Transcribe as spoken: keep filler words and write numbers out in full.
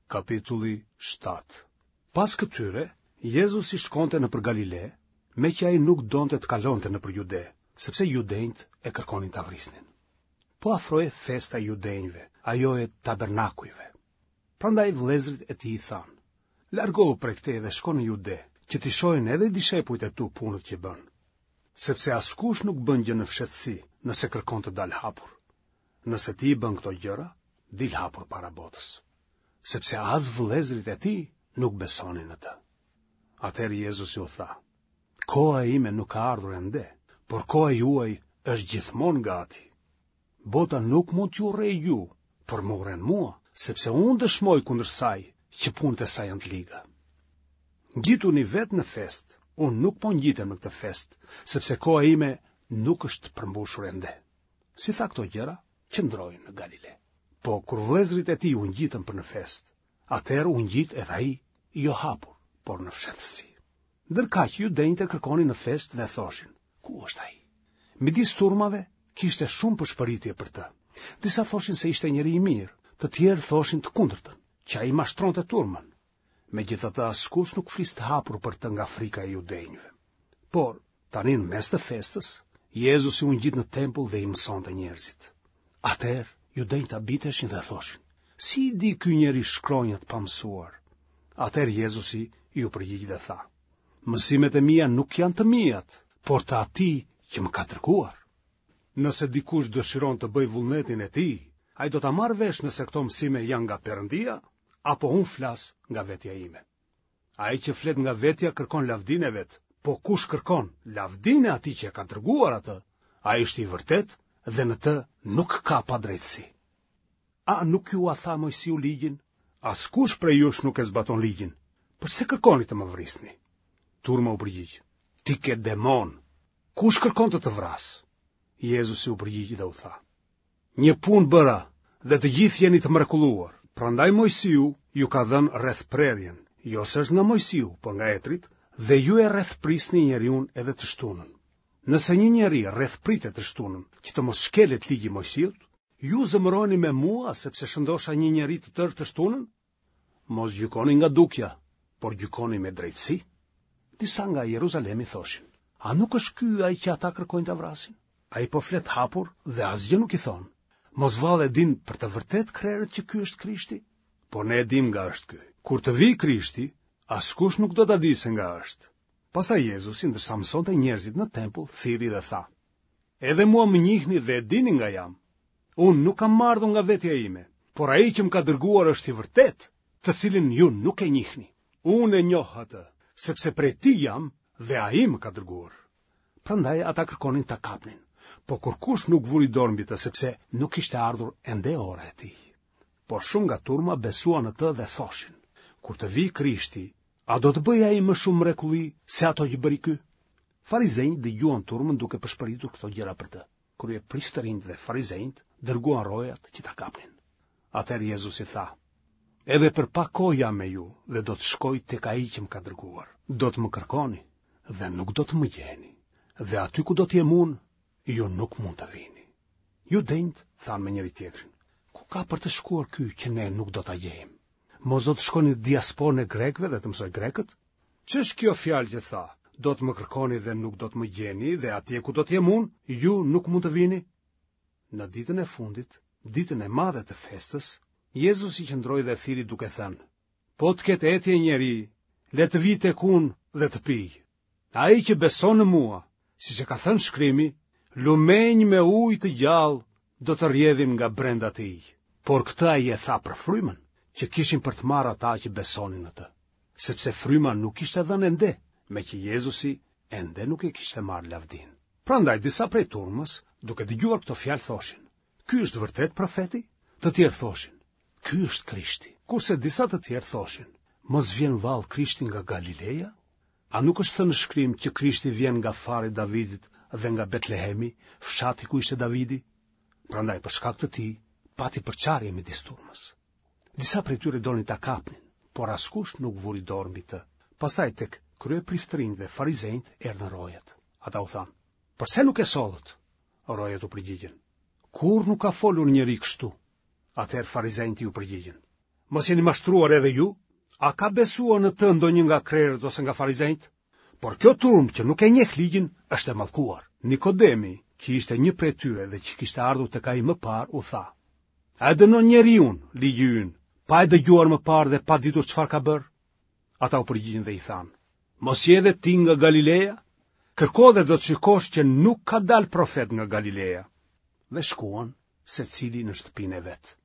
Kapitulli shtatë. Pas këtyre, Jezusi shkonte nëpër Galile, meqë ai nuk donte të kalonte nëpër Jude, sepse judenjtë e kërkonin ta vrisnin. Po afrohej festa e judenjve, ajo e tabernakujve. Prandaj vëllezërit e tij i thanë: Largohu prej këtej dhe shko në Jude, që t'i shohin edhe dishepujt e tu punët që bën. Sepse askush nuk bën gjë në fshehtësi, nëse kërkon të dalë hapur. Nëse ti i bën këto gjëra, dil hapur para botës. Sepse as vëllezërit e tij nuk besonin në të. Atëherë Jezusi u tha: Koha ime nuk ka ardhur ende, por koha juaj është gjithmonë gati. Bota nuk mund t'ju urrejë ju, por më urren mua, sepse unë dëshmoj kundër saj që punët e saj janë të liga. Ngjituni vetë në festë, unë nuk po ngjitem në këtë festë, sepse koha ime nuk është përmbushur ende. Si tha këto gjëra, qëndroi në Galile. Po kur vëllezërit e tij u ngjitën për në festë, atëherë u ngjit edhe ai, jo hapur, por në fshehtësi. Ndërkaq judenjtë e kërkonin në festë dhe thoshin, ku është ai? Midis turmave kishte shumë pëshpëritje për të. Disa thoshin se ishte njeri i mirë, të tjerë thoshin të kundërtën, që ai mashtronte turmën. Megjithatë askush nuk fliste hapur për të nga frika e judenjve. Por, tani në mes të festës, Jezusi u ngjit në tempull dhe i mësonte njerëzit. Atëherë, judenjtë habiteshin dhe thoshin, si i di ky njeri shkronjat pa mësuar? Atëherë Jezusi iu përgjigj dhe tha, mësimet e mia nuk janë të miat, por të atij që më ka dërguar. Nëse dikush dëshiron të bëjë vullnetin e tij, ai do ta marrë vesh nëse këto mësime janë nga Perëndia apo unë flas nga vetja ime. Ai që flet nga vetja kërkon lavdinë e vet, po kush kërkon lavdinë e atij që e ka dërguar atë, ai është i vërtetë dhe në të nuk ka padrejtësi. A nuk jua tha Moisiu ligjin? Askush prej jush nuk e zbaton ligjin. Përse kërkoni të më vrisni? Turma u përgjigj: Ti ke demon. Kush kërkon të të vrasë? Jezusi u përgjigj dhe u tha: Një punë bëra dhe të gjithë jeni të mrekulluar. Prandaj Moisiu ju ka dhënë rrethprerjen, jo se është nga Moisiu, por nga etërit, dhe ju e rrethprisni njeriun edhe të shtunën. Nëse një njeri rrethpritet të shtunën, që të mos shkelet ligji i Moisiut, ju zemëroheni me mua sepse shëndosha një njeri të tërë të shtunën? Mos gjykoni nga dukja, por gjykoni me drejtësi. Disa nga Jeruzalemi thoshin: A nuk është ky ai që ata kërkojnë ta vrasin? Ai po flet hapur dhe asgjë nuk i thonë. Mos vallë e dinë për të vërtetë krerët që ky është Krishti? Por ne e dimë nga është ky. Kur të vijë Krishti, askush nuk do ta dijë se nga është. Pastaj Jezusi, ndërsa mësonte njerëzit në tempull, thirri dhe tha: Edhe mua më njihni dhe e dini nga jam. Unë nuk kam ardhur nga vetja ime, por ai që më ka dërguar është i vërtetë, të cilin ju nuk e njihni. Unë e njoh atë, sepse prej tij jam dhe ai më ka dërguar. Prandaj ata kërkonin ta kapnin, po kurkush nuk vuri dorë mbi të, sepse nuk kishte ardhur ende ora e tij. Por shumë nga turma besuan në të dhe thoshin: Kur të vijë Krishti, a do të bëjë ai më shumë mrekulli se ato që bëri ky? Farizenjtë dëgjuan turmën duke pëshpëritur këto gjëra për të. Kryepriftërinjtë dhe farizenjtë dërguan rojat që ta kapnin. Atëherë Jezusi tha: Edhe për pak kohë jam me ju dhe do të shkoj tek ai që më ka dërguar. Do të më kërkoni dhe nuk do të më gjeni. Dhe aty ku do të jem unë, ju nuk mund të vini. Judenjtë thanë me njëri tjetrin: Ku ka për të shkuar ky që ne nuk do ta gjejmë? Mos do të shkojë në diasporën e grekëve dhe të mësojë grekët? Ç'është kjo fjalë që tha: Do të më kërkoni dhe nuk do të më gjeni, dhe atje ku do të jem unë, ju nuk mund të vini? Në ditën e fundit, ditën e madhe të festës, Jezusi qëndroi dhe thirri duke thënë: Po të ketë etje njeri, le të vijë tek unë dhe të pijë. Ai që beson në mua, siç e ka thënë shkrimi, lumenj me ujë të gjallë do të rrjedhin nga brenda tij. Por këtë ai e tha për frymën, që kishin për të marrë ata që besonin në të, sepse fryma nuk ishte dhënë ende, meqë Jezusi ende nuk e kishte marrë lavdinë. Prandaj disa prej turmës, duke dëgjuar këto fjalë thoshin: Ky është vërtet profeti? Të tjerë thoshin: Ky është Krishti. Kurse disa të tjerë thoshin: Mos vjen vallë Krishti nga Galileja? A nuk është thënë në shkrim që Krishti vjen nga fari i Davidit dhe nga Betlehemi, fshati ku ishte Davidi? Prandaj për shkak të tij pati përçarje midis turmës. Disa prej tyre donin ta kapnin, por askush nuk vuri dorë mbi të. Pastaj tek kryepriftërinjtë dhe farizenjtë erdhën rojat. Ata u thanë: Përse nuk e sollët? Rojat u përgjigjën: Kurrë nuk ka folur njeri kështu. Atëherë farizenjtë iu përgjigjën: Mos jeni mashtruar edhe ju? A ka besuar në të ndonjë nga krerët ose nga farizenjtë? Por kjo turmë që nuk e njeh ligjin është e mallkuar. Nikodemi, që ishte një prej tyre dhe që kishte ardhur tek ai më parë, u tha: A e dënon njeriun ligji ynë, pa e dëgjuar më parë dhe pa ditur çfarë ka bërë? Ata u përgjigjën dhe i thanë: Mos je edhe ti nga Galileja? Kërko dhe do të shikosh që nuk ka dalë profet nga Galileja. Dhe shkuan secili në shtëpinë e vet.